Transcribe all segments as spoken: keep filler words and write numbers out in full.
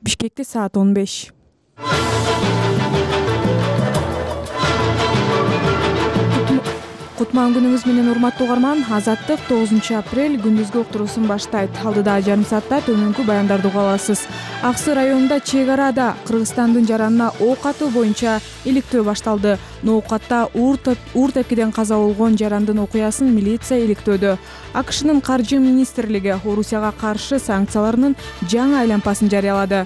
Бишкекте саат он беш. Кутман күнүңүз менен урматтуу угарман. Азаттык тогузунчу апрель күндүзгү уктуруусун баштайт. Алдыда жарым саатта төнүнкү баяндарды уга аласыз. Аксы районунда чек арада Кыргызстандын жаранына ок атуу боюнча иликтөө башталды. Ноокатта уур тепкиден каза болгон жарандын окуясын милиция иликтөөдө. АКШнын каржы министрлиги Орусияга каршы санкцияларынын жаңы айлампасын жарыялады.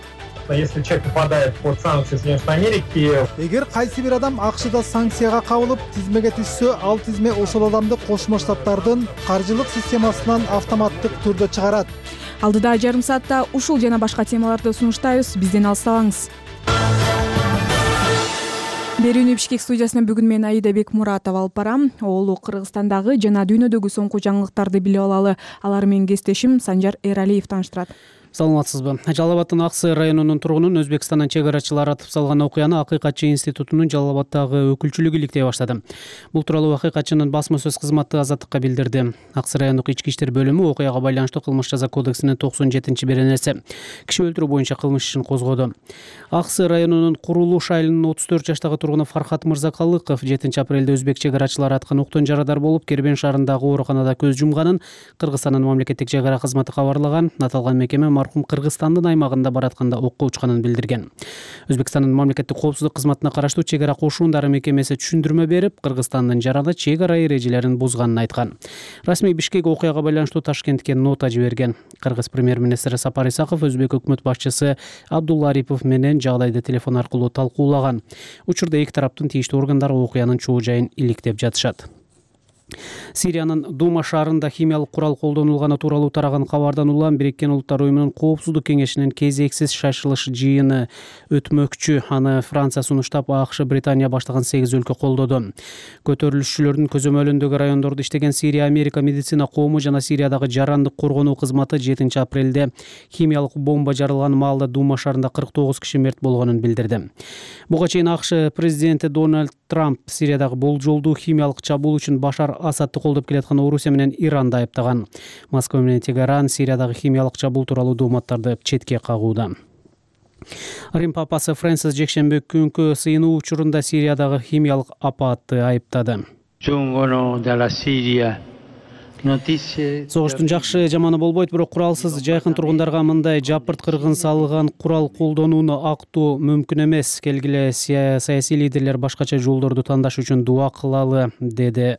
Если человек попадает под санкции Соединенных Америки, эгер кайсы бир адам АКШда санкцияга кабылып тизмеге түшсө, ал тизме ошол адамды Кошмо Штаттардын каржылык системасынан автоматтык түрдө чыгарат. Алдыда жарым саатта ушул жана башка темаларды сунуштайбыз. Бизден алыстабаңыз. Берүүнү Бишкек студиясынан бүгүн мен Аида Бекмуратова алып барам. Оолу Кыргызстандагы жана дүйнөдөгү соңку жаңылыктарды билип алалы. Алар менин кесиптешим Санжар Эралиев тааныштырат. Саламатсызбы. Жалал абаддын Аксы районунун тургунун Өзбекстандан чек арачылар атып салган окуяны Акыйкатчы институтунун Жалал абаддагы өкүлчүлүгү иликтей баштады. Бул тууралуу Акыйкатчынын басма сөз кызматы Азаттыкка билдирди. Аксы райондук ички иштер бөлүмү окуяга байланыштуу кылмыш жаза кодексинин токсон жетинчи беренеси киши өлтүрүү боюнча кылмыш ишин козгоду. Аксы районунун Курулуш айылынын отуз төрт жаштагы тургуну Фархат Мырзакалыков жетинчи апрелде өзбек чек арачылары аткан октон жарадар болуп, Кербен шаарындагы ооруканада көз жумганын Кыргызстандын мамлекеттик чек ара кызматы кабарлаган. Аталган мекеме мархум Кыргызстандын аймагында баратканда окко учканын билдирген. Өзбекстандын мамлекеттик коопсуздук кызматына караштуу чек ара кошуундары мекемеси түшүндүрмө берип, Кыргызстандын жараны чек ара эрежелерин бузганын айткан. Расмий Бишкек окуяга байланыштуу Ташкентке нота жиберген. Кыргыз премьер-министри Сапар Исаков өзбек өкмөт башчысы Абдулла Арипов менен жагдайды телефон аркылуу талкуулаган. Учурда эки тараптын тийиштүү органдары окуянын чоо жайын иликтеп жатышат. Сириянын Дума шаарында химиялык курал колдонулганы тууралуу тараган кабардан улам Бириккен Улуттар уюмунун Коопсуздук кеңешинин кезексиз шашылыш жыйыны өтмөкчү. Аны Франция сунуштап, АКШ, Британия баштаган сегиз өлкө колдоду. Көтөрүлүшчүлөрдүн көзөмөлүндөгү райондордо иштеген Сирия Америка медицина коому жана Сириядагы жарандык коргонуу кызматы жетинчи апрелде химиялык бомба жарылган маалда Дума шаарында кырк тогуз киши мерт болгонун билдирди. Буга чейин АКШ президенти Дональд Трамп Сириядагы болжолдуу химиялык чабуул үчүн Башар Асадты колдоп келаткан Орусия менен Иранды айыптаган. Москва менен Тегеран Сириядагы химиялык чабуул тууралуу дооматтарды четке кагууда. Рим папасы Фрэнсис жекшемби күнкү сыйынуу учурунда Сириядагы химиялык апатты айыптады. Согуштун жакшы жаманы болбойт, бирок куралсыз жайкын тургундарга мындай жапырт кыргын салган курал колдонууну актоо мүмкүн эмес. Келгиле саясий лидерлер башкача жолдорду тандаш үчүн дуа кылалы, деди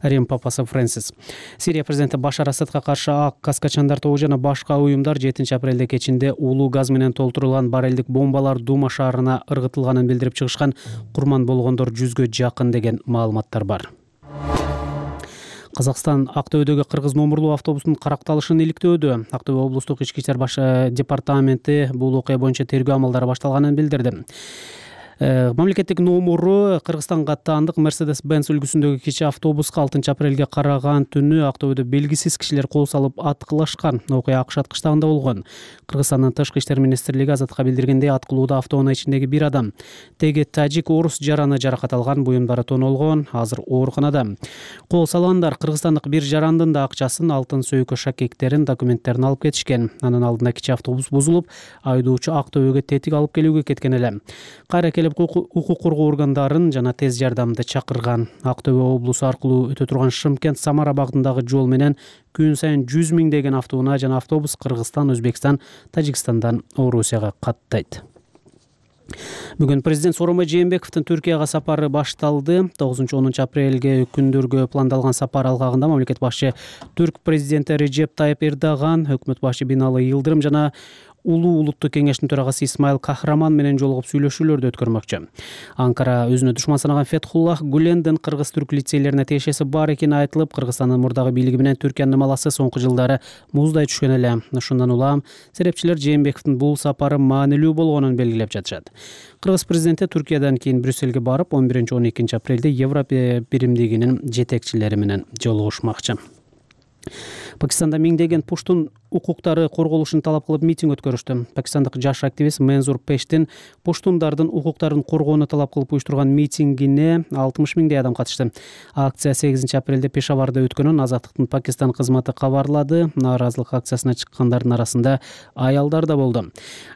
Рим папасы Фрэнсис. Сирия президенти Башар Асадка каршы ак каскачандар тобу жана башка уюмдар жетинчи апрелде кечинде улуу газ менен толтурулган барелдик бомбалар Дума шаарына ыргытылганын билдирип чыгышкан. Курман болгондор жүзгө жакын деген маалыматтар бар. Казакстан Актөбөдөгү кыргыз номурлуу автобустун каракталышын иликтөөдө. Актөбө облустук ички иштер баш департаменти бул окуя боюнча тергөө амалдары башталганын билдирди. Мамлекеттик номуру Кыргызстанга аттаандык Mercedes-Benz үлгүсүндөгү кичи автобуска алтынчы апрелге караган түнү Актөбөдө белгисиз кишилер кол салып аткылашкан. Окуя АКШ аткычтагында болгон. Кыргызстандын тышкы иштер министрлиги Азаттыкка билдиргендей, аткылууда автоунаа ичиндеги бир адам, теги тажик орус жараны жаракат алган, буюмдары тонолгон, азыр ооруканада. Кол салгандар кыргызстандык бир жарандын да акчасын, алтын сөйкө шакектерин, документтерин алып кетишкен. Анын алдында кичи автобус бузулуп, айдоочу Актөбөгө тетик алып келүүгө кеткен эле. Кайра келип укук коргоо органдарын жана тез жардамды чакырган. Актөбө облусу аркылуу өтө турган Шымкент Самара багытындагы жол менен күн сайын жүз миңдеген автоунаа жана автобус Кыргызстан, Өзбекстан, Тажикстандан Орусияга каттайт. Бүгүн президент Сооронбай Жээнбековдун Түркияга сапары башталды. тогузунчу онунчу апрелге күндөргө пландалган сапар алкагында мамлекет башчы Түрк президенти Режеп Тайып Эрдоган, өкмөт башы Бинали Йылдырым жана Улуу улуттук кеңештин төрагасы Исмаил Кахраман менен жолугуп сүйлөшүүлөрдү өткөрмөкчү. Анкара өзүнө душман санаган Фетхуллах Гулендин кыргыз-түрк лицейлерине тиешеси бар экени айтылып, Кыргызстандын мурдагы бийлиги менен Түркиянын маласы соңку жылдары муздай түшкөн эле. Ушундан улам серепчилер Жээнбековдун бул сапары маанилүү болгонун белгилеп жатышат. Кыргыз президенти Түркиядан кийин Брюссельге барып, он биринчи он экинчи апрелде Европа биримдигинин жетекчилери менен жолугушмакчы. Пакистанда миңдеген пуштун укуктары корголушун талап кылып митинг өткөрүштү. Пакистандык жаш активист Мензур Пештин пуштундардын укуктарын коргоону талап кылып уюштурган митингине алтымыш миңдей адам катышты. Акция сегизинчи апрелде Пешаварда өткөнүн Азаттыктын Пакистан кызматы кабарлады. Нааразылык акциясына чыккандардын арасында аялдар да болду.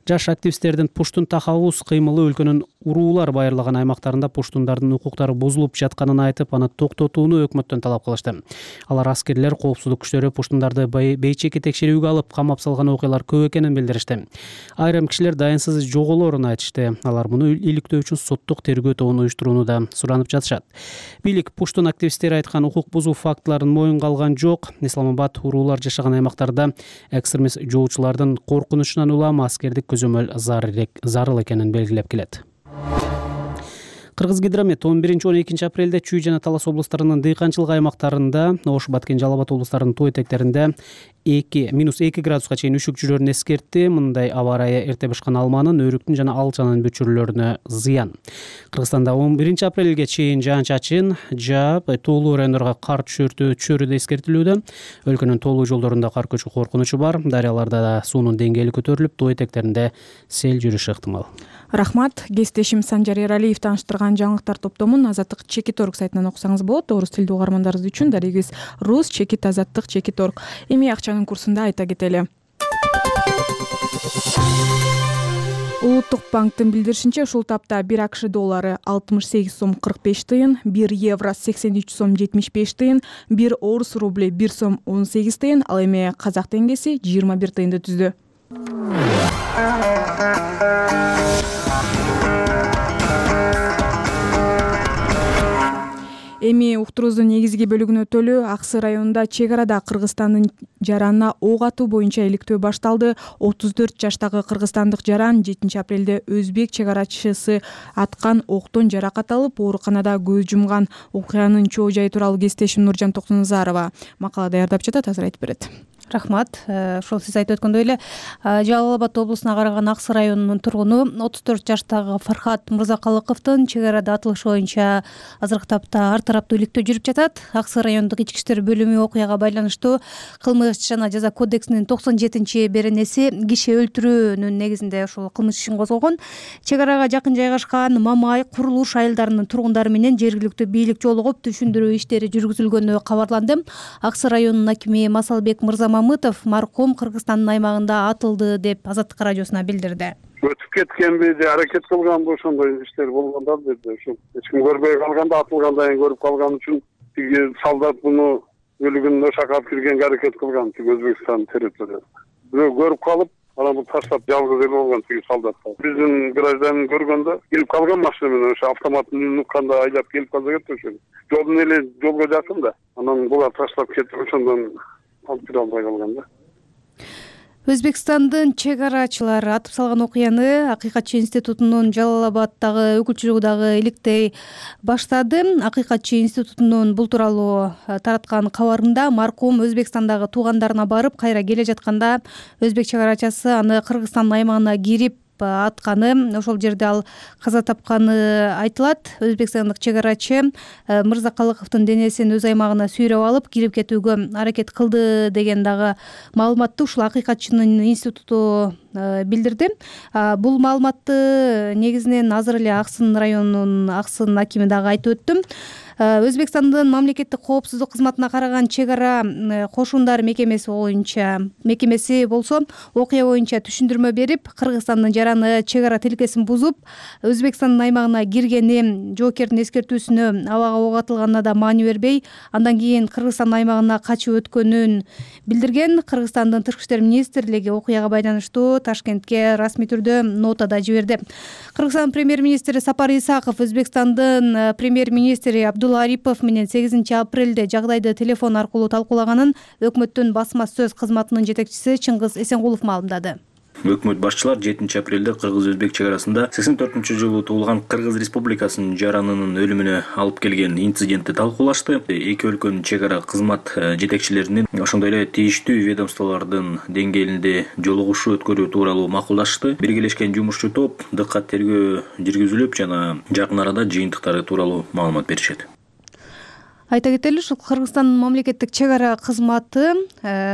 Жаш активисттердин пуштун тахаббус кыймылы өлкөнүн уруулар байырлаган аймактарында пуштундардын укуктары бузулуп жатканын айтып, аны токтотууну өкмөттөн талап кылышты. Алар аскерлер, коопсуздук күчтөрү пуштундарды бейчеки текшерүүгө алып камап салган окуялар көп экенин билдиришти. Айрым кишилер дайынсыз жоголоорун айтышты. Алар муну иликтөө үчүн соттук тергөө тобун уюштурууну да суранып жатышат. Бийлик пуштун активисттери айткан укук бузуу фактыларын моюнга алган жок. Исламабад уруулар жашаган аймактарда экстремист жоочулардын коркунучунан улам аскердик көзөмөл зарыл экенин белгилеп келет. Кыргызгидромет он биринчи он экинчи апрелде Чүй жана Талас облустарынын дыйканчылык аймактарында, Ош, Баткен, Жалал Абад облустарынын тоо этектеринде минус эки градуска чейин үшүк жүрөрүн эскертти. Мындай аба ырайы эрте бышкан алманын, өрүктүн жана алчанын бүчүрлөрүнө зыян. Кыргызстанда он биринчи апрелге чейин жаан-чачын жаап, тоолуу райондорго кар түшөрү да эскертилүүдө. Өлкөнүн тоолуу жолдорунда кар көчүү коркунучу бар. Дарыяларда да суунун деңгээли көтөрүлүп, тоо этектеринде сел жүрүшү ыктымал. Рахмат. Кесиптешим Санжар Эралиев тааныштырган жаңылыктар топтомун Азаттык Чекит орг сайтынан окусаңыз болот. Орус тилдүү угармандарыбыз үчүн дарегибиз Рус Чекит Азаттык Чекит орг. Эми акчанын курсунда айта кетели. Улуттук банктын билдиришинче, ушул тапта бир АКШ доллары алтымыш сегиз сом кырк беш тыйын, бир евро сексен үч сом жетимиш беш тыйын, бир орус рубли бир сом он сегиз тыйын, ал эми казак теңгеси жыйырма бир тыйынды түздү. Эми уктуруубуздун негизги бөлүгүнө өтөлү. Аксы районунда чек арада Кыргызстандын жаранына ок атуу боюнча иликтөө башталды. отуз төрт жаштагы кыргызстандык жаран жетинчи апрелде өзбек чек арачысы аткан октон жаракат алып, ооруканада көз жумган. Окуянын чоо жайы тууралуу кесиптешим Нуржан Токтоназарова макала даярдап жатат, азыр айтып берет. Рахмат. Ошол сиз айтып өткөндөй эле, Жалал Абад облусуна караган Аксы районунун тургуну отуз төрт жаштагы Фархат Мырзакалыковдун чек арада атылышы боюнча азыркы тапта ар тараптуу иликтөө жүрүп жатат. Аксы райондук ички иштер бөлүмү окуяга байланыштуу кылмыш жана жаза кодексинин токсон жетинчи беренеси киши өлтүрүүнүн негизинде ошол кылмыш ишин козгогон. Чек арага жакын жайгашкан Мамай курулуш айылдарынын тургундары менен жергиликтүү бийлик жолугуп түшүндүрүү иштери жүргүзүлгөнү кабарланды. Аксы районунун акими Масалбек Мырзамамытов маркум Кыргызстандын аймагында атылды деп Азаттык радиосуна билдирди. Өтүп кеткенби же аракет кылганбы ошондой иштер болгондор деди. Ошо эч ким көрбөй калганда, атылгандан кийин көрүп калган үчүн тиги солдат муну өлүгүн ошакап киргенге аракет кылган, тиги Өзбекстан территориясында. Бирөө көрүп калып, анан бул таштап жалгыз эле болгон тиги солдат. Биздин гражданин көргөндө келип калган машина менен ошо автоматтын үнүн укканда айдап келип калса керек ошо. Жолдун эле жолго жакын да. Анан булар таштап кетип ошондон алып кире албай калган да. Өзбекстандын чек арачылары атып салган окуяны Акыйкатчы институтунун Жалал Абаддагы өкүлчүлүгү дагы иликтей баштады. Акыйкатчы институтунун бул тууралуу тараткан кабарында маркум Өзбекстандагы туугандарына барып, кайра келе жатканда өзбек чек арачысы аны Кыргызстандын аймагына кирип атканы, ошол жерде ал каза тапканы айтылат. Өзбекстандык чек арачы Мырзакалыковдун денесин өз аймагына сүйрөп алып кирип кетүүгө аракет кылды деген дагы маалыматты ушул Акыйкатчынын институту билдирди. Бул маалыматты негизинен азыр эле Аксын районунун Аксын акими дагы айтып өттүм. Өзбекстандын мамлекеттик коопсуздук кызматына караган чек ара кошундар мекемеси боюнча мекемеси болсо окуя боюнча түшүндүрмө берип, Кыргызстандын жараны чек ара тилкесин бузуп, Өзбекстандын аймагына киргени, жоокердин эскертүүсүнө абага ок атылганына да маани бербей, андан кийин Кыргызстандын аймагына качып өткөнүн билдирген. Кыргызстандын тышкы иштер министрлиги окуяга байланыштуу Ташкентке расмий түрдө нота да жиберди. Кыргызстан премьер-министри Сапар Исаков Өзбекстандын премьер-министри Абдулла Арипов менен сегизинчи апрелде жагдайды телефон аркылуу талкуулаганын өкмөттүн басма сөз кызматынын жетекчиси Чыңгыз Эсенгулов маалымдады. Өкмөт башчылар жетинчи апрелде Кыргыз-Өзбек чек арасында сексен төртүнчү жылы туулган Кыргыз Республикасынын жаранынын өлүмүнө алып келген инцидентти талкуулашты. Эки өлкөнүн чек ара кызмат жетекчилеринин ошондой эле тийиштүү ведомстволордун деңгээлинде жолугушуу өткөрүү тууралуу макулдашты. Биргелешкен жумушчу топ дыккат тергөө жүргүзүлүп жана жакын арада жыйынтыктары тууралуу маалымат беришет. Айта кетели, ушул Кыргызстандын мамлекеттик чек ара кызматы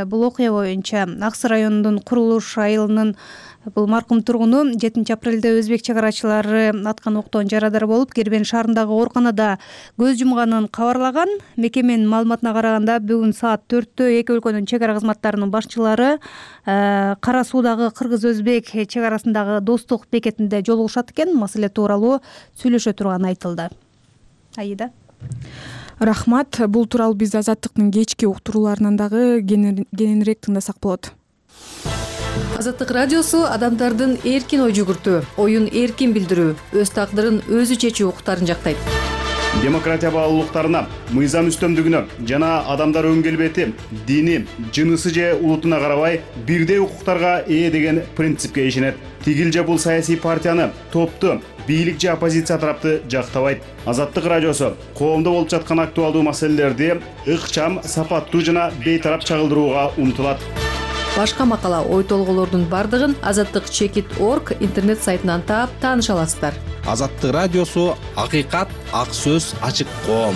бул окуя боюнча Аксы районунун Курулуш айылынын бул маркум тургуну жетинчи апрелде өзбек чек арачылары аткан октон жарадар болуп, Кербен шаарындагы ооруканада көз жумганын кабарлаган. Мекеменин маалыматына караганда, бүгүн саат төрттө эки өлкөнүн чек ара кызматтарынын башчылары Кара суудагы кыргыз-өзбек чек арасындагы достук бекетинде жолугушат экен. Маселе тууралуу сүйлөшө турганы айтылды. Аида. Рахмат. Бул тууралуу биз Азаттыктын кечки уктурууларынан дагы кененирээк тыңдасак болот. Азаттык радиосу адамдардын эркин ой жүгүртүү, оюн эркин билдирүү, өз тагдырын өзү чечүү укуктарын жактайт. Демократия баалуулуктарына, мыйзам үстөмдүгүнө жана адамдар өн келбети, дини, жынысы же улутуна карабай бирдей укуктарга ээ деген принципке ишенет. Тигил же бул саясий партияны, топту, бийлик же оппозиция тарапты жактабайт. Азаттык радиосу коомдо болуп жаткан актуалдуу маселелерди ыкчам, сапаттуу жана бейтарап чагылдырууга умтулат. Башка макала, ой толголордун бардыгын азаттык чекит точка орг интернет сайтынан таап тааныша аласыздар. Азаттык радиосу акыйкат, ак сөз, ачык коом.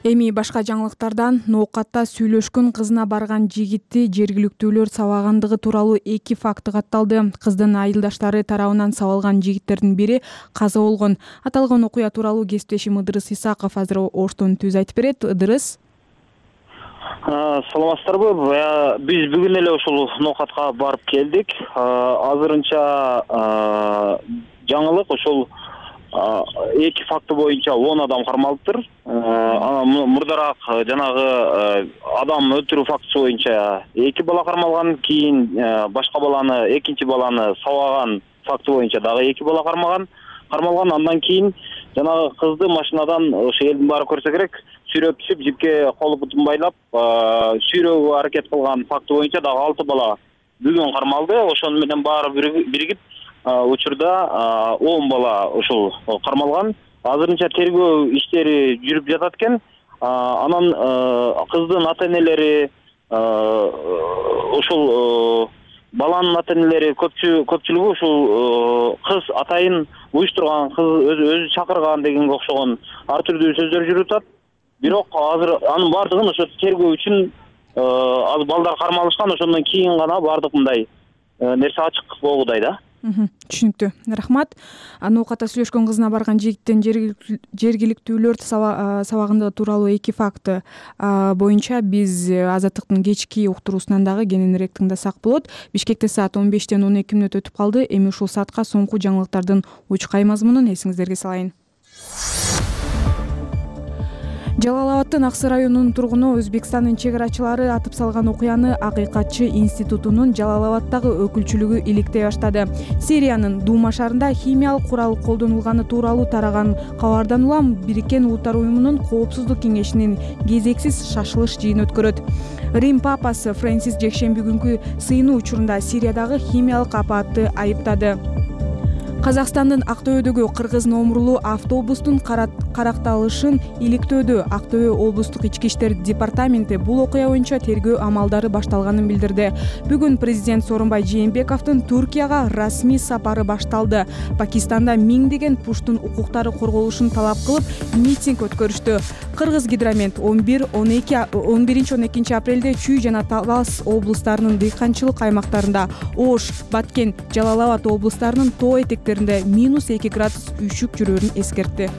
Эми башка жаңылыктардан ноокатта сүйлөшкөн кызына барган жигитти жергиликтүүлөр сабагандыгы тууралуу эки факты катталды. Кыздын айылдаштары тарабынан сабалган жигиттердин бири каза болгон. Аталган окуя тууралуу кесиптешим Ыдырыс Исаков азыр оштон түз айтып берет. Ыдырыс. Саламатсыздарбы? Биз бүгүн эле ушул ноокатка барып келдик. Азырынча жаңылык ушул эки факты боюнча он адам кармалыптыр. Мурдараак жанагы адам өлтүрүү фактысы боюнча эки бала кармалган, кийин башка баланы, экинчи баланы сабаган факты боюнча дагы эки бала кармаган. Кармалган, андан кийин жанагы кызды машинадан ошо элдин баары көрсө керек, сүйрөп түшүп, жипке колу бутун байлап, сүйрөөгө аракет кылган факты боюнча дагы алты бала бүгүн кармалды. Ошону менен баары биригип учурда он бала ушул кармалган. Азырынча тергөө иштери жүрүп жатат экен. Анан кыздын ата-энелери, ушул баланын ата-энелери көпчүлүгү ушул кыз атайын уюштурган, кыз өзү чакырган дегенге окшогон ар түрдүү сөздөр жүрүп атат. Бирок азыр анын бардыгын ошо тергөө үчүн азыр балдар кармалышкан, ошондон кийин гана бардык мындай нерсе ачык болгудай да. Түшүнүктүү. Рахмат. Ноокатта сүйлөшкөн кызына барган жигиттин жергиликтүүлөр сабагандыгы тууралуу эки факты боюнча биз Азаттыктын кечки уктуруусунан дагы кененирээк тыңдасак болот. Бишкекте саат он бештен он эки мүнөт өтүп калды. Эми ушул саатка соңку жаңылыктардын учкай мазмунун эсиңиздерге салайын. Жалал Абадтын Аксы районунун тургуну Өзбекстандын чек арачылары атып салган окуяны Акыйкатчы институтунун Жалал Абадтагы өкүлчүлүгү иликтей баштады. Сириянын Дума шаарында химиялык курал колдонулганы тууралуу тараган кабардан улам Бириккен Улуттар уюмунун Коопсуздук кеңешинин кезексиз шашылыш жыйын өткөрөт. Рим папасы Фрэнсис жекшемби күнкү сыйынуу учурунда Сириядагы химиялык апатты айыптады. Казакстандын Актөбөдөгү кыргыз номурлуу автобустун каракталышын иликтөөдө Актөбө облустук ички иштер департаменти бул окуя боюнча тергөө амалдары башталганын билдирди. Бүгүн президент Сооронбай Жээнбековдун Туркияга расмий сапары башталды. Пакистанда миңдеген пуштун укуктары корголушун талап кылып митинг өткөрүштү. Кыргыз Гидромет он бир он эки он биринчи он экинчи апрелде Чүй жана Талас облустарынын дыйканчылык аймактарында, Ош, Баткен, Жалал Абад облустарынын тоо этектеринде минус эки градус үйшүк жүрөөрүн эскертти.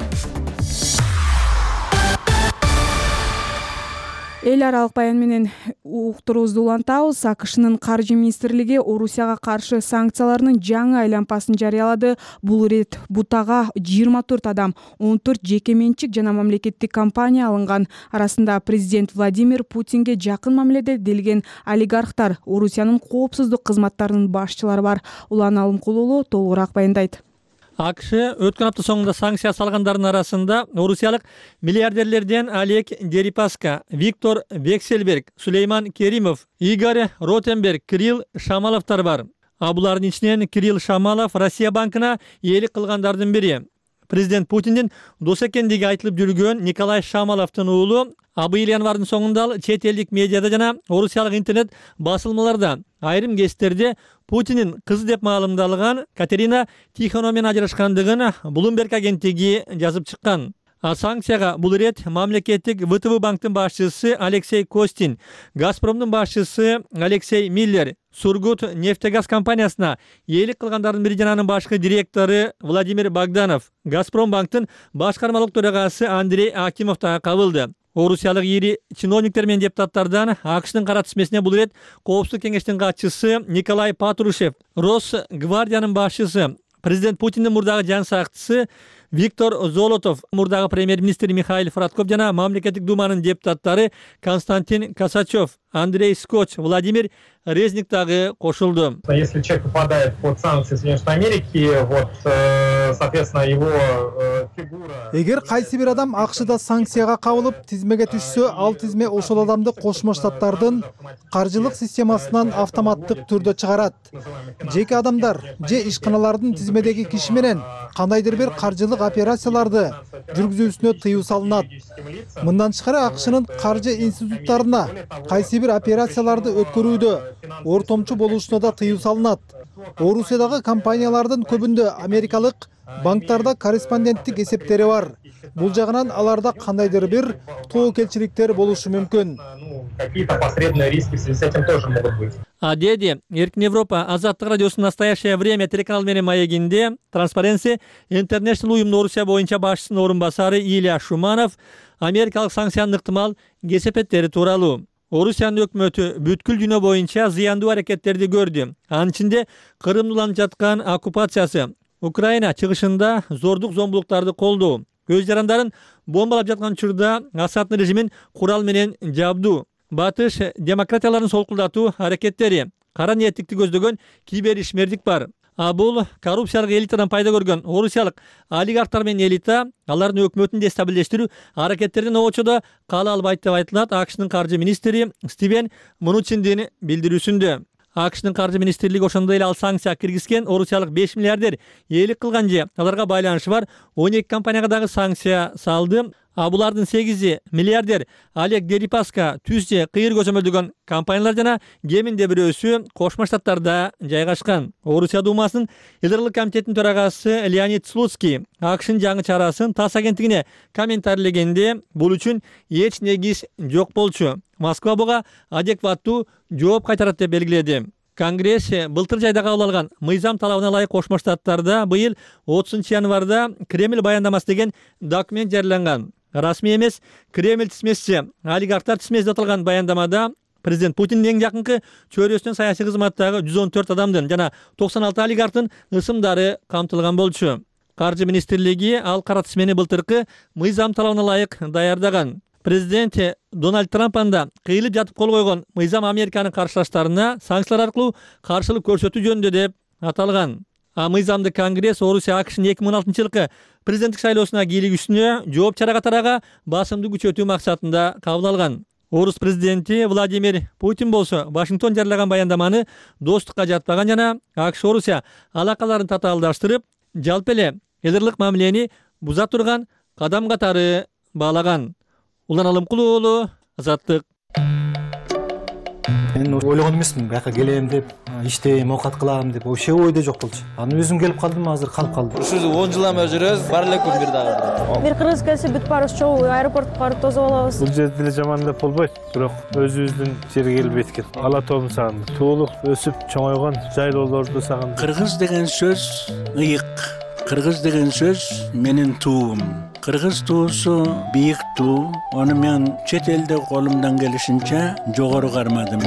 Эл аралык баян менен уктуруубузду улантабыз. АКШнын каржы министрлиги Орусияга каршы санкцияларынын жаңы айланпасын жарыялады. Бул ирет бутага жыйырма төрт адам, он төрт жеке менчик жана мамлекеттик компания алынган. Арасында президент Владимир Путинге жакын мамиледе делген олигархтар, Орусиянын коопсуздук кызматтарынын башчылары бар. Улан Алымкулулу толугураак баяндайт. АКШ өткөн апта соңунда санкция салгандардын арасында орусиялык миллиардерлерден Олег Дерипаска, Виктор Вексельберг, Сулейман Керимов, Игорь Ротенберг, Кирилл Шамаловтар бар. А булардын ичинен Кирилл Шамалов Россия банкына ээлик кылгандардын бири. Президент Путиндин дос экендиги айтылып жүргөн Николай Шамаловдун уулу быйыл январдын соңунда чет элдик медиада жана орусиялык интернет басылмаларда айрым кездерде Путиндин кызы деп маалымдалган Катерина Тихонова менен ажырашкандыгын Bloomberg агенттиги жазып чыккан. Санкцияга бул ирет мамлекеттик вэ тэ вэ банктын башчысы Алексей Костин, Газпромдун башчысы Алексей Миллер, Сургутнефтегаз компаниясына ээлик кылгандардын бири жана анын башкы директору Владимир Богданов, Газпром банктын башкармалык төрагасы Андрей Акимов да кабылды. Орусиялык ири чиновниктер менен депутаттардан АКШтын кара тизмесине бул ирет Коопсуздук кеңештин катчысы Николай Патрушев, Росгвардиянын башчысы, президент Путиндин мурдагы жан сакчысы Виктор Золотов, мурдагы премьер-министр Михаил Фродков жана мамлекеттик думанын депутаттары Константин Косачев, Андрей Скотч, Владимир Резник дагы кошулду. Если человек попадает под санкции Соединенных Америки, вот, соответственно, его фигура... Эгер кайсы бир адам АКШда санкцияга кабылып, тизмеге түшсө, ал тизме ошол адамды Кошмо Штаттардын каржылык системасынан автоматтык түрдө чыгарат. Жеке адамдар же ишканалардын тизмедеги киши менен кандайдыр бир каржылык операцияларды жүргүзүүсүнө тыюу салынат. Мындан тышкары АКШнын каржы институттарына кайсы бир операцияларды өткөрүүдө ортомчу болушуна да тыюу салынат. Орусиядагы компаниялардын көбүндө америкалык банктарда корреспонденттик эсептери бар. Бул жагынан аларда кандайдыр бир тоокелчиликтер болушу мүмкүн. Какие-то посредные риски в связи с этим тоже могут быть. А деди, Эркин Европа, Азаттык радиосунун «Настоящее время» телеканал менен маегинде Transparency International уюмунун Орусия боюнча башчысынын орун басары Илья Шуманов америкалык санкциянын ыктымал кесепеттери тууралуу. Орусиянын өкмөтү бүткүл дүйнө боюнча зыяндуу аракеттерди көрдү. Анын ичинде Кырымды уланып жаткан оккупациясы, Украина чыгышында зордук зомбулуктарды колдоо, көз жарандарын бомбалап жаткан учурда Асаддын режимин курал менен жабдуу, батыш демократияларын солкулдатуу аракеттери, кара ниеттикти көздөгөн киберишмердик бар. А бул коррупциялык элитадан пайда көргөн орусиялык олигархтар менен элита алардын өкмөтүн дестабилдештирүү аракеттеринин обочодо кала албайт деп айтылат АКШнын каржы министри Стивен Мнучиндин билдирүүсүндө. АКШнын каржы министрлиги ошондой эле ал санкция киргизген орусиялык беш миллиардер ээлик кылган же аларга байланышы бар он эки компанияга дагы санкция салды. А булардын сегизи миллиардер Олег Дерипаска, Түз же Кыйыр көзөмөлдөгөн компаниялар жана кеминде бирөөсү Кошмо Штаттарда жайгашкан. Орусия Думасынын Илдырлык комитетинин төрагасы Леонид Слуцкий АКШнын жаңы чарасын ТАСС агенттигине комментарийлегенде бул үчүн эч негиз жок болчу. Москва буга адекваттуу жооп кайтарат деп белгиледи. Конгресс былтыр жайда кабыл алган мыйзам талабына ылайык Кошмо Штаттарда быйыл отузунчу январда Кремль баяндамасы деген документ жарыяланган. Расмий эмес Кремль тизмеси, олигархтар тизмеси деп аталган баяндамада президент Путиндин эң жакынкы чөйрөсүнөн саясий кызматтагы жүз он төрт адамдын жана токсон алты олигархтын ысымдары камтылган болчу. Каржы министрлиги ал кара тизмени былтыркы мыйзам талабына ылайык даярдаган. Президент Дональд Трамп анда кыйылып жатып кол койгон мыйзам Американын каршылаштарына санкциялар аркылуу каршылык көрсөтүү жөнүндө деп аталган. А мыйзамды Конгресс Орусия АКШнын эки миң он алтынчы жылкы президенттик шайлоосуна кийлигүүсүнө жооп чара катарага басымды күчөтүү максатында кабыл алган. Орус президенти Владимир Путин болсо Вашингтон жарыялаган баяндаманы достукка жатпаган жана АКШ Орусия алакаларын татаалдаштырып, жалпы эле элдирлык мамилени буза турган кадам катары баалаган. Улан Алымкул уулу, Азаттык. Мен ойлогон эмесмин, бияка келем деп, иштейм, оокат кылам деп, вообще ойдо жок болчу. Аны өзүм келип калдым, азыр калып калдым. Ушул он жылдан бери жүрөбүз, бар эле күн бир дагы. Бир кыргыз келсе бүт баарыбыз чогуу аэропортко барып тосуп алабыз. Бул жерде деле жаман деп болбойт, бирок өзүбүздүн жерге келип эткен. Ала тоомун сагындым. Туулук өсүп чоңойгон жайлоолорду сагындым. Кыргыз деген сөз ыйык. Кыргыз деген сөз менин туум. Кыргыз туусу бийик туу. Аны мен чет элде колумдан келишинче жогору кармадым.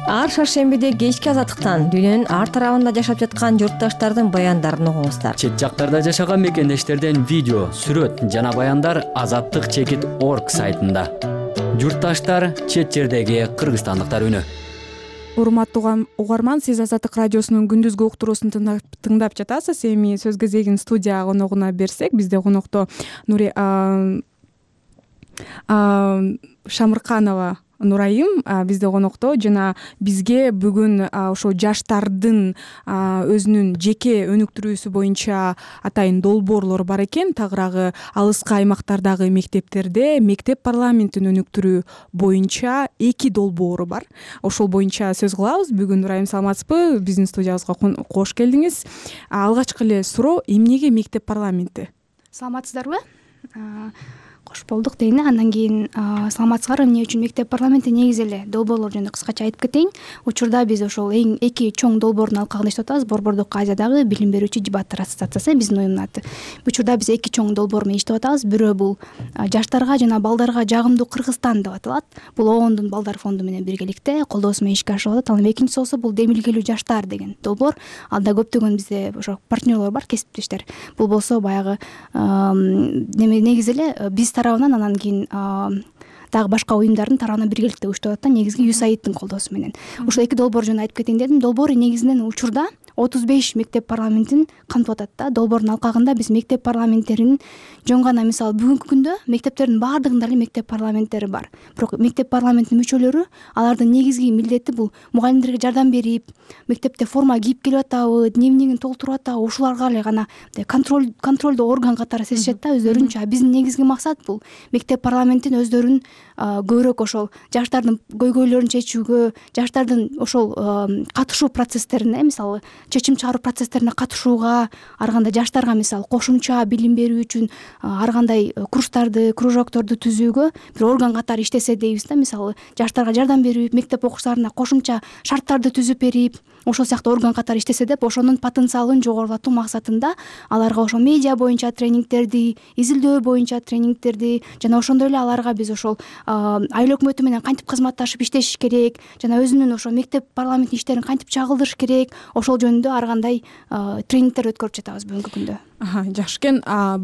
Ар шаршембиде кечки Азаттыктан дүйнөнүн ар тарабында жашап жаткан журтташтардын баяндарын угуңуздар. Чет жактарда жашаган мекендештерден видео, сүрөт жана баяндар азаттык чекит орг сайтында. Журтташтар, чет жердеги кыргызстандыктар үнү. Урматтуу угарман, сиз Азаттык радиосунун күндүзгү уктуруусун тыңдап жатасыз. Эми сөз кезегин студия коногуна берсек, бизде конокто Нури Шамырканова Нурайым бизде конокто жана бизге бүгүн ошо жаштардын өзүнүн жеке өнүктүрүүсү боюнча атайын долбоорлор бар экен. Тагыраагы алыскы аймактардагы мектептерде мектеп парламентин өнүктүрүү боюнча эки долбоору бар. Ошол боюнча сөз кылабыз. Бүгүн Нурайым, саламатсызбы? Биздин студиябызга кош келдиңиз. Алгачкы эле суроо, эмнеге мектеп парламенти? Саламатсыздарбы? кош болдук дейин. Андан кийин саламатсыздарбы, эмне үчүн мектеп парламенти негизи эле долбоорлор жөнүндө кыскача айтып кетейин. Учурда биз ошол эң эки чоң долбоордун алкагында иштеп атабыз. Борбордук Азиядагы билим берүүчү жибааттар ассоциациясы биздин уюмдун аты. Учурда биз эки чоң долбоор менен иштеп атабыз. Бирөө бул жаштарга жана балдарга жагымдуу Кыргызстан деп аталат. Бул ООНдун балдар фонду менен биргеликте колдоосу менен ишке ашырылып атат. Анан экинчиси болсо бул демилгелүү жаштар деген долбоор. Анда көптөгөн бизде ошо партнерлор бар, кесиптештер. Бул болсо баягы негизи эле биз тарабынан, анан кийин дагы башка уюмдардын тарабынан биргеликте уюштуруп атат. Негизги ю эс эй айдын колдоосу менен. Ушул эки долбоор жөнүндө айтып кетейин дедим. Долбоор негизинен учурда отуз беш мектеп парламентин камтып атат да. Долбоордун алкагында биз мектеп парламенттеринин жөн гана, мисалы бүгүнкү күндө мектептердин баардыгында эле мектеп парламенттери бар. Бирок мектеп парламентинин мүчөлөрү, алардын негизги милдети бул мугалимдерге жардам берип, мектепте форма кийип келип атабы, дневнигин толтуруп атабы, ушуларга эле гана контроль контролдоо орган катары сезишет да өздөрүнчө. Биздин негизги максат бул мектеп парламентин өздөрүн көбүрөөк ошол жаштардын көйгөйлөрүн чечүүгө, жаштардын ошол катышуу процесстерине, мисалы чечим чыгаруу процесстерине катышууга, ар кандай жаштарга мисалы кошумча билим берүү үчүн ар кандай курстарды, кружокторду түзүүгө бир орган катары иштесе дейбиз да. Мисалы жаштарга жардам берип, мектеп окуучуларына кошумча шарттарды түзүп берип, ошол сыяктуу орган катары иштесе деп, ошонун потенциалын жогорулатуу максатында аларга ошол медиа боюнча тренингтерди, изилдөө боюнча тренингтерди жана ошондой эле аларга биз ошол айыл өкмөтү менен кантип кызматташып иштешиш керек жана өзүнүн ошо мектеп парламенттин иштерин кантип чагылдырыш керек, ошол жөнүндө ар кандай тренингтер өткөрүп жатабыз бүгүнкү күндө. Жакшы экен.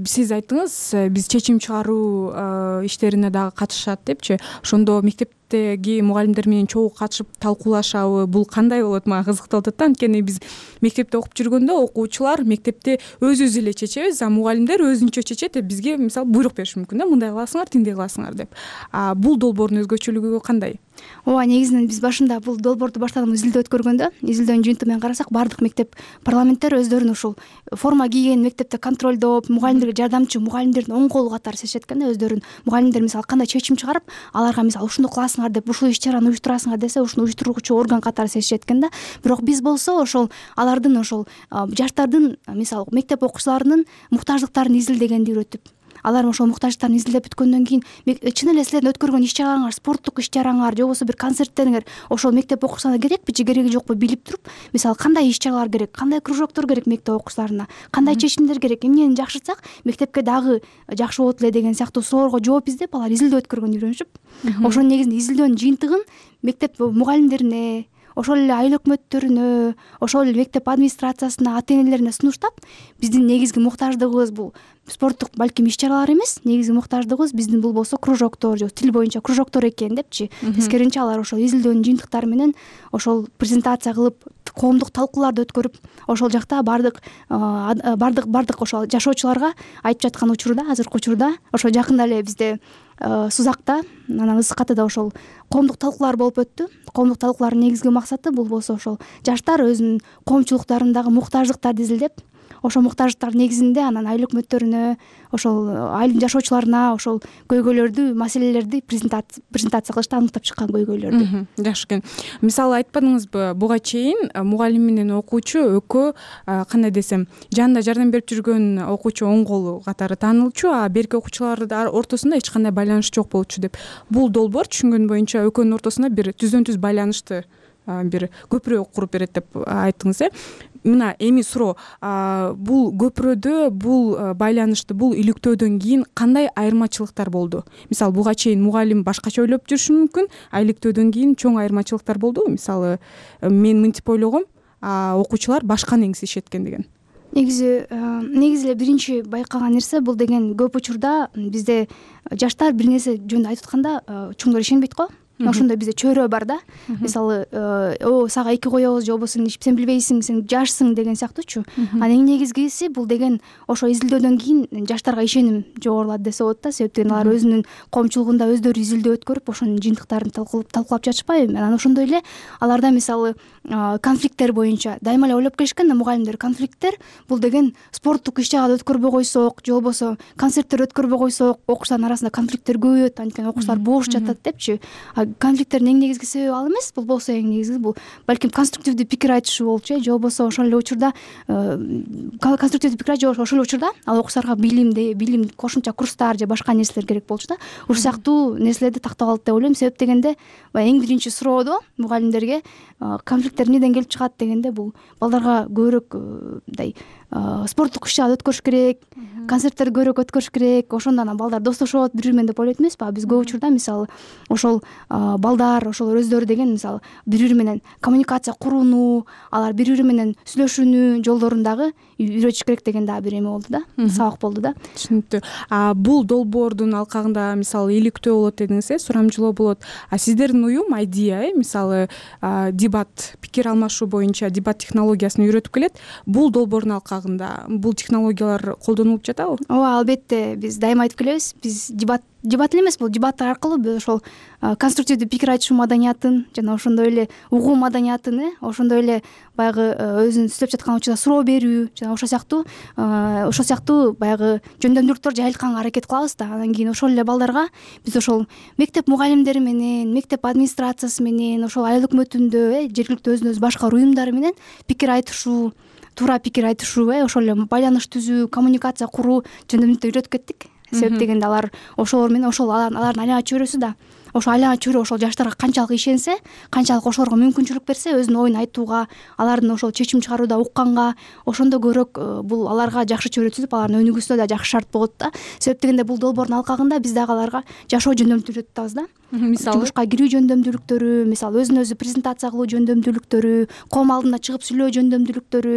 Сиз айттыңыз, биз чечим чыгаруу иштерине дагы катышат депчи. Ошондо мектептеги мугалимдер менен чогуу катышып талкуулашабы? Бул кандай болот? Мага кызыктуу болуп атат да. Анткени биз мектепте окуп жүргөндө окуучулар мектепте өзүбүз эле чечебиз, а мугалимдер өзүнчө чечет, бизге мисалы буйрук бериши мүмкүн да, мындай кыласыңар, тиндей кыласыңар деп. А бул долбоордун өзгөчөлүгү кандай? Ооба, негизинен биз башында бул долбоорду баштаганда изилдөө өткөргөндө, изилдөөнүн жыйынтыгы менен карасак, баардык мектеп парламенттер өздөрүн ушул форма кийген мектепте контролдоп, мугалимдерге жардамчы мугалимдердин оң колу катары сезишет экен да. Өздөрүн мугалимдер мисалы кандай чечим чыгарып, аларга мисалы ушуну кыласыңар деп, ушул иш чараны уюштурасыңар десе, ушуну уюштуруучу орган катары сезишет экен да. Бирок биз болсо ошол алардын ошол жаштардын мисалы мектеп окуучуларынын муктаждыктарын изилдегенди үйрөтүп, алар ошол муктаждыктарын изилдеп бүткөндөн кийин чын эле силердин өткөргөн иш чараңар, спорттук иш чараңар же болбосо бир концерттериңер ошол мектеп окуучуларына керекпи же кереги жокпу билип туруп, мисалы кандай иш чаралар керек, кандай кружоктор керек мектеп окуучуларына, кандай чечимдер керек, эмнени жакшыртсак мектепке дагы жакшы болот эле деген сыяктуу суроолорго жооп издеп, алар изилдөө өткөргөндү үйрөнүшүп, ошонун негизинде изилдөөнүн жыйынтыгын мектеп мугалимдерине, ошол эле айыл өкмөттөрүнө, ошол эле мектеп администрациясына, ата энелерине сунуштап, биздин негизги муктаждыгыбыз бул спорттук балким иш чаралар эмес, негизги муктаждыгыбыз биздин бул болсо кружоктор же тил боюнча кружоктор экен депчи. Тескеринче алар ошол изилдөөнүн жыйынтыктары менен ошол презентация кылып, коомдук талкууларды өткөрүп, ошол жакта бардык бардык бардык ошол жашоочуларга айтып жаткан учурда, азыркы учурда ошо жакында эле бизде Сузакта, анан Ысык Атада ошол коомдук талкуулар болуп өттү. Коомдук талкуулардын негизги максаты бул болсо ошол жаштар өзүнүн коомчулуктарындагы муктаждыктарды изилдеп, ошол муктаждыктар негизинде анан айыл өкмөттөрүнө, ошол айылдын жашоочуларына ошол көйгөйлөрдү, маселелерди презентация кылышты, аныктап чыккан көйгөйлөрдү. Жакшы экен. Мисалы айтпадыңызбы, буга чейин мугалим менен окуучу экөө кандай десем, жанында жардам берип жүргөн окуучу оң колу катары таанылчу, а берки окуучулардын ортосунда эч кандай байланыш жок болчу деп. Бул долбоор түшүнгөн боюнча экөөнүн ортосунда бир түздөн түз байланышты бир көпүрө куруп берет деп айттыңыз, э? Мына эми суроо, бул көпүрөдө, бул байланышты, бул иликтөөдөн кийин кандай айырмачылыктар болду? Мисалы буга чейин мугалим башкача ойлоп жүрүшү мүмкүн, а иликтөөдөн кийин чоң айырмачылыктар болдубу? Мисалы мен мынтип ойлогом, окуучулар башка негизишет экен деген. Негизи негизи эле биринчи байкаган нерсе бул деген, көп учурда бизде жаштар бир нерсе жөнүндө айтып атканда чоңдор ишенбейт го. Ошондой бизде чөйрө бар да. Мисалы, о, сага эки коебуз же болбосо сен билбейсиң, сен жашсың деген сыяктуучу. Анан эң негизгиси бул деген ошо изилдөөдөн кийин жаштарга ишеним жогорулат десе болот да. Себептен алар өзүнүн коомчулугунда өздөрү изилдөө өткөрүп, ошонун жыйынтыктарын талкуулап жатышпайбы? Анан ошондой эле аларда мисалы конфликттер боюнча дайыма эле ойлоп келишкен да мугалимдер. Конфликттер бул деген спорттук иш чараларды өткөрбөй койсок, же болбосо концерттер өткөрбөй койсок, окуучулардын арасында конфликттер көбөйөт, анткени окуучулар боош жатат депчи. конфликттердин эң негизги себеби ал эмес, бул болсо эң негизги бул балким конструктивдүү пикир айтышуу болчу э же болбосо ошол эле учурда конструктивдүү пикир айтуу ошол эле учурда ал окуучуларга билимди билим кошумча курстар же башка нерселер керек болчу да. Ушул сыяктуу нерселерди тактап алды деп ойлойм. Себеп дегенде баягы эң биринчи суроодо мугалимдерге конфликттер эмнеден келип чыгат дегенде бул балдарга көбүрөөк мындай спорттук иш-чаралар өткөрүш керек, концерттерди көбүрөөк өткөрүш керек, ошондо анан балдар достошот бири бири менен деп ойлойт эмеспи? Биз көп учурда мисалы ошол балдар ошол өздөрү деген мисалы бири бири менен коммуникация курууну, алар бири бири менен сүйлөшүүнү жолдорун дагы үйрөтүш керек деген дагы бир эме болду да, сабак болду да. Түшүнүктүү. А бул долбоордун алкагында мисалы иликтөө болот дедиңиз э, сурамжылоо болот. А сиздердин уюм айдия э, мисалы дебат, пикир алмашуу боюнча дебат технологиясын үйрөтүп келет. Бул долбоордун алкагында бул технологиялар колдонулуп жатабы? Ооба, албетте, биз дайыма айтып келебиз. Биз дебат дебат эле эмес, бул дебаттар аркылуу биз ошол конструктивдүү пикир айтышуу маданиятын жана ошондой эле угуу маданиятын э ошондой эле баягы өзүнүн сүйлөп жаткан учурда суроо берүү жана ошол сыяктуу ошол сыяктуу баягы жөндөмдүүлүктөр жайылтканга аракет кылабыз да. Анан кийин ошол эле балдарга биз ошол мектеп мугалимдери менен, мектеп администрациясы менен, ошол айыл өкмөтүндө э жергиликтүү өзүн өзү башкаруу уюмдары менен пикир айтышуу, туура пикир айтышуу э ошол эле байланыш түзүү, коммуникация куруу жөндөмдүүлүктү үйрөтүп кеттик. Себеп дегенде алар ошолор менен ошол алардын айлана чөйрөсү да ошол айлана чөйрө ошол жаштарга канчалык ишенсе, канчалык ошолорго мүмкүнчүлүк берсе, өзүнүн оюн айтууга, алардын ошол чечим чыгарууда укканга, ошондо көбүрөөк бул аларга жакшы чөйрө түзүп, алардын өнүгүүсүнө да жакшы шарт болот да. Себеп дегенде бул долбоордун алкагында биз дагы аларга жашоо жөндөмдүүлүктү үйрөтүп атабыз да. Мисалы жумушка кирүү жөндөмдүүлүктөрү, мисалы өзүн өзү презентация кылуу жөндөмдүүлүктөрү, коом алдына чыгып сүйлөө жөндөмдүүлүктөрү,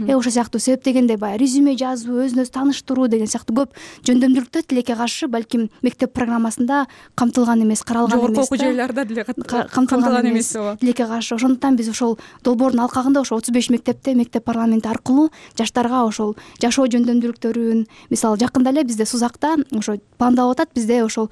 э ошол сыяктуу. Себеп дегенде баягы резюме жазуу, өзүн өзү тааныштыруу деген сыяктуу көп жөндөмдүүлүктөр тилекке каршы балким мектеп программасында камтылган эмес, каралган эмес. Жогорку окуу жайларда деле камтылган эмес тилекке каршы. Ошондуктан биз ошол долбоордун алкагында ошол отуз беш мектепте мектеп парламенти аркылуу жаштарга ошол жашоо жөндөмдүүлүктөрүн, мисалы жакында эле бизде Сузакта ошо пландалып атат, бизде ошол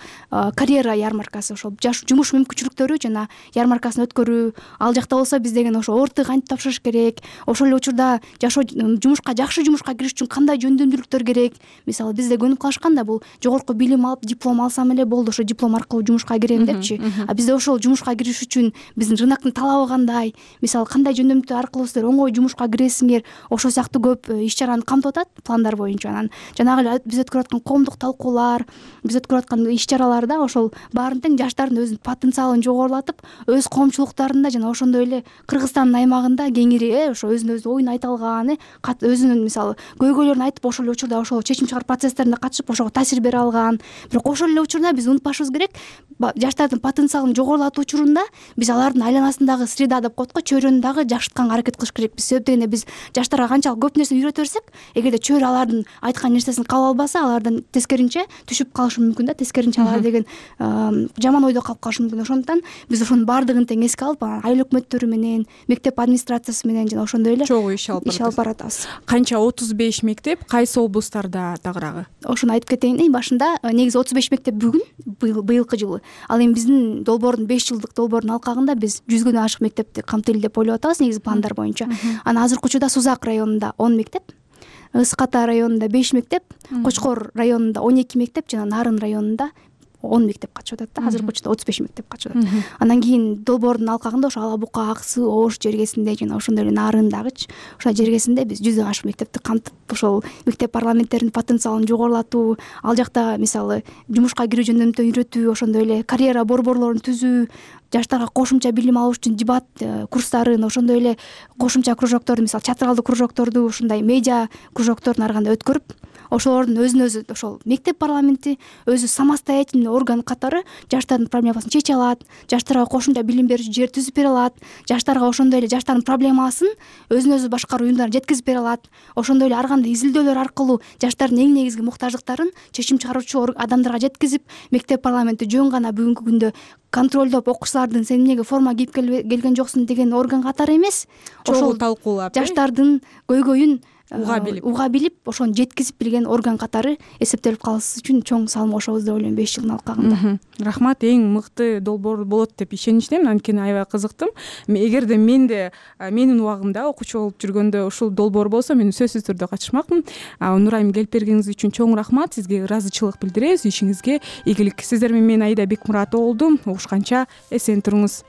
карьера ярмаркасы, ошол жумуш мүмкүнчүлүктөрү жана ярмаркасын өткөрүү. Ал жакта болсо биз деген ошо орты кантип тапшырыш керек, ошол эле учурда жашоо жумушка жакшы жумушка кириш үчүн кандай жөндөмдүүлүктөр керек. Мисалы бизде көнүп калышкан да бул жогорку билим алып, диплом алсам эле болду, ошо диплом аркылуу жумушка кирем депчи. А бизде ошол жумушка кириш үчүн биздин рыноктун талабы кандай, мисалы кандай жөндөмдүү аркылуу силер оңой жумушка киресиңер, ошол сыяктуу көп иш-чараны камтып атат пландар боюнча. Анан жанагы эле биз өткөрүп аткан коомдук талкуулар, биз өткөрүп аткан иш-чараларда ошол баарын тең жаштардын өзүнүн потенциалын жогорулатып, өз коомчулуктарында жана ошондой эле Кыргызстандын аймагында кеңири э ошо өзүнүн өзү оюн айта алган, э өзүнүн мисалы көйгөйлөрүн айтып, ошол эле учурда ошол чечим чыгаруу процесстерине катышып, ошого таасир бере алган. Бирок ошол эле учурда биз унутпашыбыз керек, жаштардын потенциалын жогорулатуу учурунда биз алардын айланасындагы среда деп коет го, чөйрөнү дагы жакшыртканга аракет кылыш керекпиз. Себеп дегенде биз жаштарга канчалык көп нерсени үйрөтө берсек, эгерде чөйрө алардын айткан нерсесин кабыл албаса, алардан тескеринче түшүп калышы мүмкүн да, тескеринче алар деген жаман ойдо калып калышы мүмкүн. Ошондуктан биз ошонун баардыгын тең эске алып, айыл өкмөттөрү менен, мектеп администрациясы менен жана ошондой эле чогуу иш алып баратабыз. Канча отуз беш мектеп, кайсы облустарда тагыраагы? Ошону айтып кетейин. Эң башында негизи отуз беш мектеп бүгүн быйылкы жылы. Ал эми биздин долбоордун беш жылдык долбоордун алкагында биз жүзгөн ашык мектепти камтыйлы деп ойлоп атабыз негизи пландар боюнча. Анан азыркы учурда Сузак районунда он мектеп, Ысык Ата районунда беш мектеп, Кочкор районунда он эки мектеп жана Нарын районунда он мектеп катышып атат да. Азыркы учурда отуз беш мектеп катышып атат. Анан кийин долбоордун алкагында ошо Ала Бука, Аксы, Ош жергесинде жана ошондой эле Нарындагычы ошол жергесинде биз жүздөн ашык мектепти камтып, ошол мектеп парламенттеринин потенциалын жогорулатуу, ал жакта мисалы жумушка кирүү жөндөмдү үйрөтүү, ошондой эле карьера борборлорун түзүү, жаштарга кошумча билим алыш үчүн дебат курстарын, ошондой эле кошумча кружокторду, мисалы театралдык кружокторду, ушундай медиа кружокторун ары кандай өткөрүп, ошолордун өзүн өзү ошол мектеп парламенти өзү самостоятельный орган катары жаштардын проблемасын чече алат, жаштарга кошумча билим берүүчү жер түзүп бере алат, жаштарга ошондой эле жаштардын проблемасын өзүн өзү башкаруу уюмдарына жеткизип бере алат. Ошондой эле ар кандай изилдөөлөр аркылуу жаштардын эң негизги муктаждыктарын чечим чыгаруучу адамдарга жеткизип, мектеп парламенти жөн гана бүгүнкү күндө контролдоп окуучулардын сен эмнеге форма кийип келген жоксуң деген орган катары эмес, ошол талкуулап жаштардын көйгөйүн уга билип уга билип ошону жеткизип билген орган катары эсептелип калыш үчүн чоң салым кошобуз деп ойлойм беш жылдын алкагында. Рахмат, эң мыкты долбоор болот деп ишеничтемин, анткени аябай кызыктым. Эгерде менде менин убагымда окуучу болуп жүргөндө ушул долбоор болсо мен сөзсүз түрдө катышмакмын. Нурайым, келип бергениңиз үчүн чоң рахмат, сизге ыраазычылык билдиребиз, ишиңизге ийгилик. Сиздер менен мен Аида Бекмуратова болдум. Угушканча эсен туруңуз.